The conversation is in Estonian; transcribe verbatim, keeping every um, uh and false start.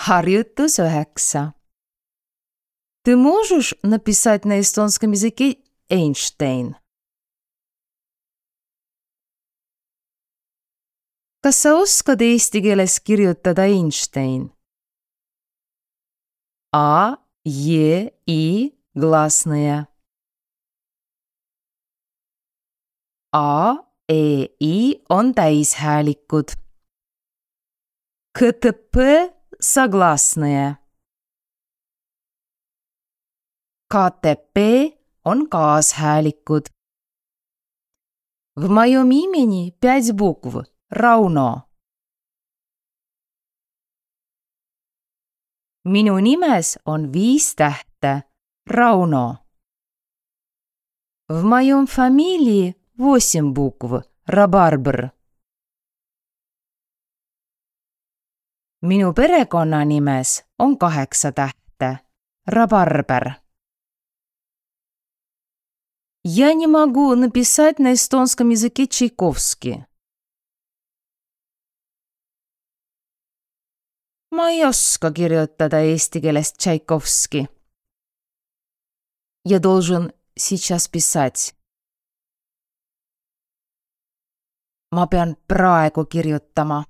Harjutus üheksa. Ты можешь написать на эстонском языке Эйнштейн? Kas sa oskad eesti keeles kirjutada Einstein? А, Е, И гласные. A, E, I on täishäälikud. К, Т, П согласные. К, Т, П on kaashäälikud. В моем имени пять букв. Rauno. Minu nimes on viis tähte. Rauno. В моем фамилии восемь букв. Рабарбр. Minu perekonnanimes on kaheksa tähte. Рабарбер. Я не могу написать на эстонском языке Чайковский. Ma ei oska kirjutada eesti keeles Tšaikovski. Я должен сейчас писать. Ma pean praegu kirjutama.